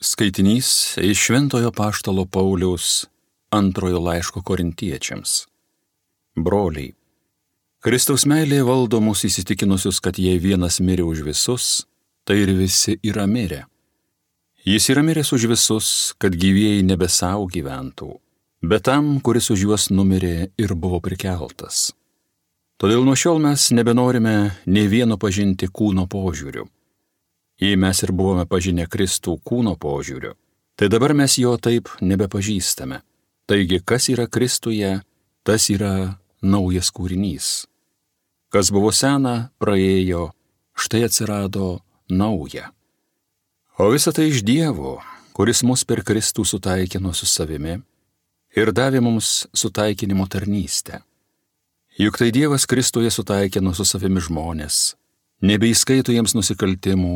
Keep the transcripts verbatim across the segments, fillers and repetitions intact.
Skaitinys iš Šventojo Apaštalo Pauliaus antrojo laiško Korintiečiams. Broliai, Kristaus meilė valdo mus įsitikinusius, kad jei vienas mirė už visus, tai ir visi yra mirę. Jis yra miręs už visus, kad gyvieji nebe savo gyventų, bet tam, kuris už juos numirė ir buvo prikeltas. Todėl nuo šiol mes nebenorime nei vieno pažinti kūno požiūriu. Jei mes ir buvome pažinę Kristų kūno požiūriu, tai dabar mes jo taip nebepažįstame. Taigi, kas yra Kristuje, tas yra naujas kūrinys. Kas buvo sena, praėjo, štai atsirado nauja. O visa tai iš Dievo, kuris mus per Kristų sutaikino su savimi ir davė mums sutaikinimo tarnystę. Juk tai Dievas Kristuje sutaikino su savimi žmonės, nebeįskaito jiems nusikaltimų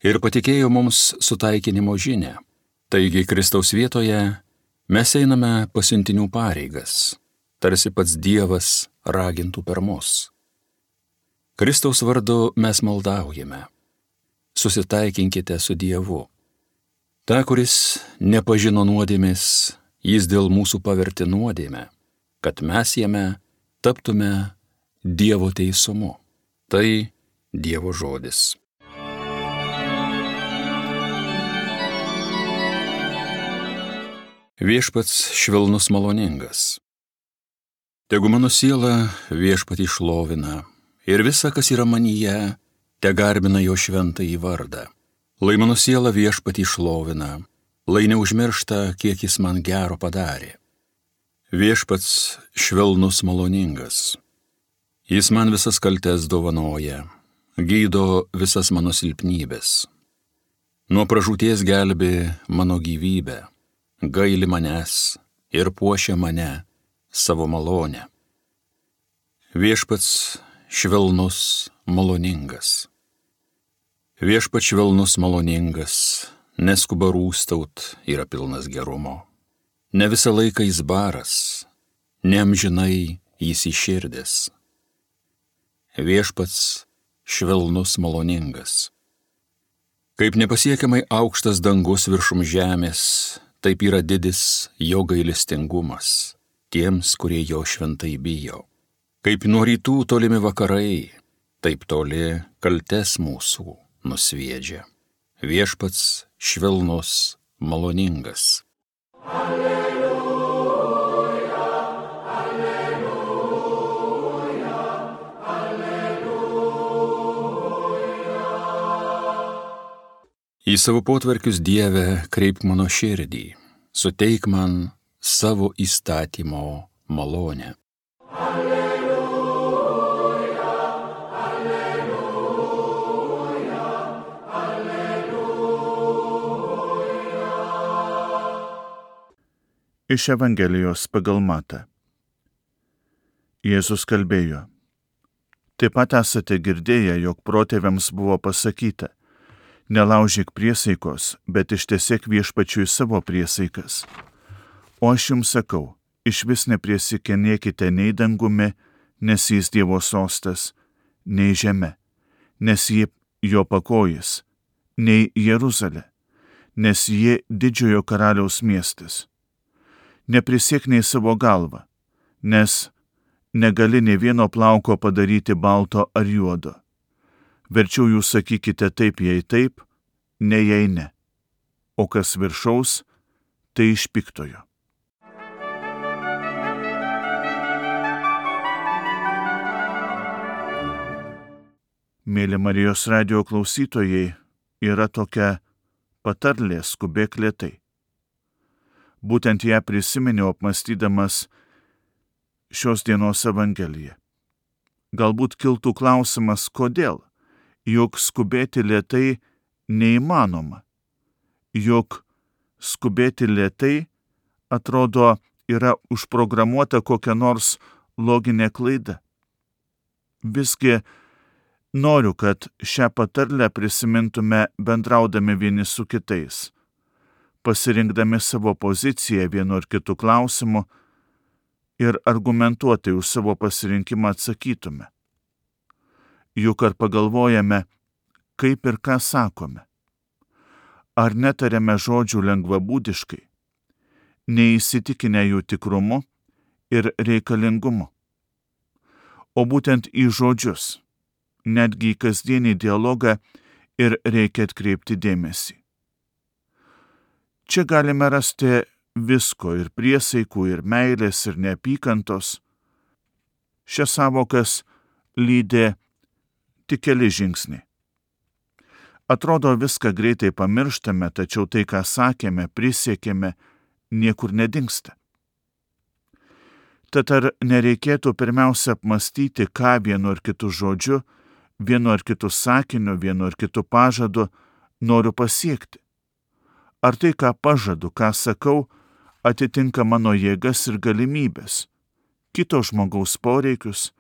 ir patikėjo mums sutaikinimo žinią. Taigi Kristaus vietoje mes einame pasiuntinių pareigas, tarsi pats Dievas ragintų per mus. Kristaus vardu mes maldaujame. Susitaikinkite su Dievu. Ta, kuris nepažino nuodėmės, jis dėl mūsų pavertė nuodėmę, kad mes jame taptume Dievo teisumu. Tai Dievo žodis. Viešpats švelnus maloningas. Tegu mano siela viešpatį šlovina ir visa, kas yra manyje, te garbina jo šventąjį vardą. Lai mano siela viešpatį šlovina, lai neužmiršta, kiek jis man gero padarė. Viešpats švelnus maloningas. Jis man visas kaltes dovanoja, gydo visas mano silpnybės. Nuo pražūties gelbė mano gyvybę, gaili manęs ir puošia mane savo malonę. Viešpats švelnus maloningas. Viešpats švelnus maloningas, neskuba rūstaut, yra pilnas gerumo. Ne visą laiką jis baras, neamžinai jis įširdęs. Viešpats švelnus maloningas. Kaip nepasiekiamai aukštas dangus viršum žemės, taip yra didis jo gailestingumas tiems, kurie jo šventai bijo. Kaip nuo rytų tolimi vakarai, taip toli kaltes mūsų nusviedžia. Viešpats švelnus maloningas. Alleluja, alleluja, alleluja. Į savo potvarkius, Dieve, kreipk mano širdį, suteik man savo įstatymo malonę. Alleluja, alleluja, alleluja. Iš Evangelijos pagal Matą. Jėzus kalbėjo: Taip pat esate girdėję, jog protėviams buvo pasakyta: Nelaužyk priesaikos, bet ištesėk viešpačiui savo priesaikas. O aš jums sakau, išvis nepriesikenėkite nei dangumi, nes jis Dievo sostas, nei žeme, nes ji jo pakojis, nei Jeruzalė, nes ji didžiojo karaliaus miestas. Neprisiek nei savo galvą, nes negali nei vieno plauko padaryti balto ar juodo. Verčiau jūs sakykite taip, jei taip, ne jei ne. O kas viršaus, tai iš piktojo. Mėly Marijos radijo klausytojai, yra tokia patarlė skubėk lėtai. Būtent ją prisiminiau apmąstydamas šios dienos Evangeliją. Galbūt kiltų klausimas, kodėl? Juk skubėti lėtai neįmanoma. Juk skubėti lėtai, atrodo, yra užprogramuota kokia nors loginė klaida. Visgi noriu, kad šią patarlę prisimintume bendraudami vieni su kitais, pasirinkdami savo poziciją vienu ar kitu klausimu ir argumentuotai už savo pasirinkimą atsakytume. Juk ar pagalvojame, kaip ir ką sakome? ar netariame žodžių lengvabūdiškai, neįsitikinę jų tikrumu ir reikalingumu. O būtent į žodžius, netgi į kasdienį dialogą ir reikia atkreipti dėmesį. Čia galime rasti visko ir priesaikų, ir meilės, ir neapykantos. Šias savokas lydė tik keli žingsniai. Atrodo, viską greitai pamirštame, tačiau tai, ką sakėme, prisiekėme, niekur nedingsta. Tad ar nereikėtų pirmiausia apmastyti, ką vienu ar kitu žodžiu, vienu ar kitu sakiniu, vienu ar kitu pažadu noriu pasiekti? Ar tai, ką pažadu, ką sakau, atitinka mano jėgas ir galimybės, kito žmogaus poreikius,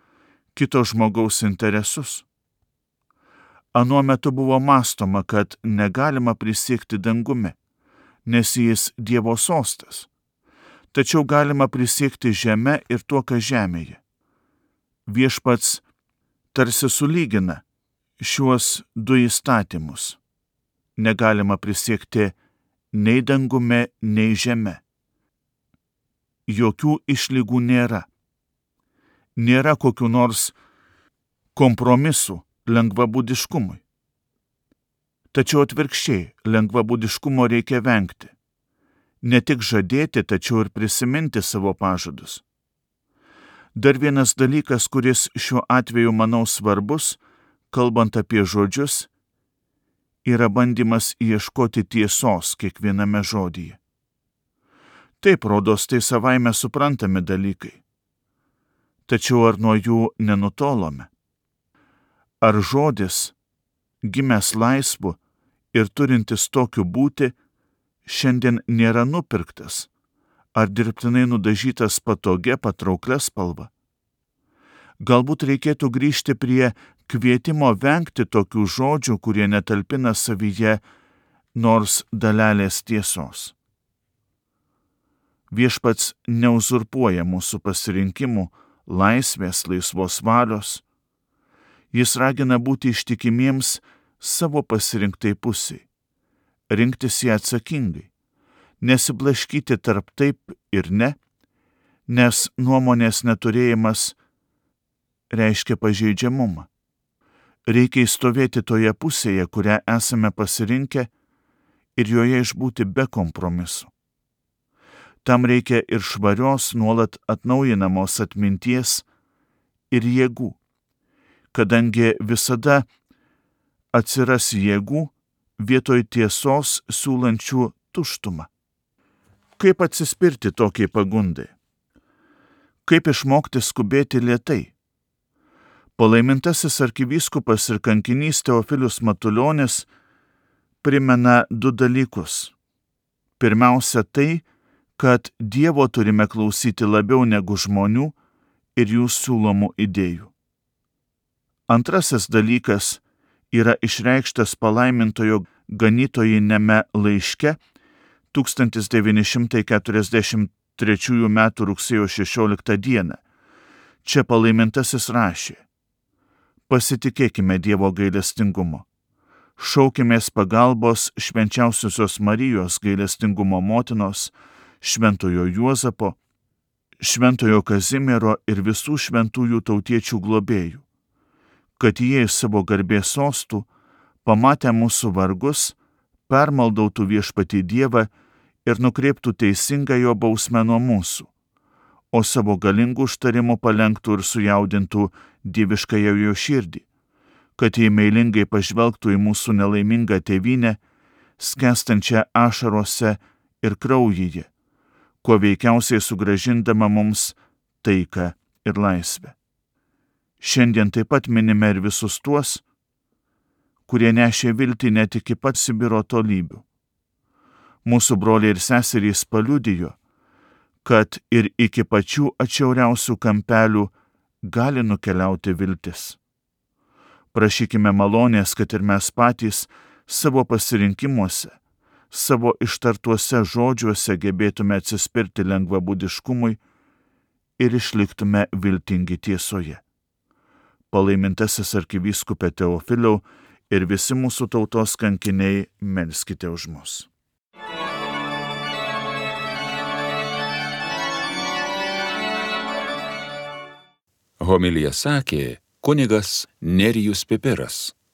kito žmogaus interesus? Anuo metu buvo mąstoma, kad negalima prisiekti dangumi, nes jis Dievo sostas. Tačiau galima prisiekti žeme ir tuo, kas žemėje. Viešpats tarsi sulygina šiuos du įstatymus. Negalima prisiekti nei dangume, nei žeme. Jokių išlygų nėra. Nėra kokių nors kompromisų lengvabūdiškumui. Tačiau atvirkščiai, lengvabūdiškumo reikia vengti. Ne tik žadėti, tačiau ir prisiminti savo pažadus. Dar vienas dalykas, kuris šiuo atveju, manau, svarbus, kalbant apie žodžius, yra bandymas ieškoti tiesos kiekviename žodyje. Taip, rodos, tai savaime suprantami dalykai. Tačiau ar nuo jų nenutolome? Ar žodis, gimęs laisvu ir turintis tokiu būti, šiandien nėra nupirktas, ar dirbtinai nudažytas patogia, patrauklia spalva? Galbūt reikėtų grįžti prie kvietimo vengti tokių žodžių, kurie netalpina savyje nors dalelės tiesos. Viešpats neuzurpuoja mūsų pasirinkimų, laisvės, laisvos valios. Jis ragina būti ištikimiems savo pasirinktai pusiai, rinktis ją atsakingai, nesiblaškyti tarp taip ir ne, nes nuomonės neturėjimas reiškia pažeidžiamumą. Reikia įstovėti toje pusėje, kurią esame pasirinkę, ir joje išbūti be kompromisų. Tam reikia ir švarios, nuolat atnaujinamos atminties ir jėgų, kadangi visada atsiras jėgų vietoj tiesos siūlančių tuštumą. Kaip atsispirti tokiai pagundai? Kaip išmokti skubėti lėtai? Palaimintasis arkivyskupas ir kankinys Teofilius Matulionis primena du dalykus. Pirmiausia tai, kad Dievo turime klausyti labiau negu žmonių ir jų siūlomų idėjų. Antrasis dalykas yra išreikštas palaimintojo ganytojiniame laiške tūkstantis devyni šimtai keturiasdešimt trečiųjų metų rugsėjo šešioliktą dieną. Čia palaimintasis rašė: pasitikėkime Dievo gailestingumu. Šaukimės pagalbos švenčiausiosios Marijos gailestingumo motinos, šventojo Juozapo, šventojo Kazimiero ir visų šventųjų tautiečių globėjų, kad jie iš savo garbės sostų, pamatę mūsų vargus, permaldautų viešpatį Dievą ir nukreiptų teisingą jo bausmę nuo mūsų, o savo galingų užtarimų palenktų ir sujaudintų dieviškąją jo širdį, kad jie meilingai pažvelgtų į mūsų nelaimingą tėvynę, skęstančią ašarose ir kraujyje, kuo veikiausiai sugrąžindama mums taiką ir laisvę. Šiandien taip pat minime ir visus tuos, kurie nešė viltį net iki pat Sibiro tolybių. Mūsų broliai ir seserys paliudijo, kad ir iki pačių atšiauriausių kampelių gali nukeliauti viltis. Prašykime malonės, kad ir mes patys savo pasirinkimuose, savo ištartuose žodžiuose gebėtume atsispirti lengvabūdiškumui ir išliktume viltingi tiesoje. Palaimintasis arkivyskupė Teofiliau ir visi mūsų tautos kankiniai, melskite už mus. Homiliją sakė kunigas Nerijus Pipiras.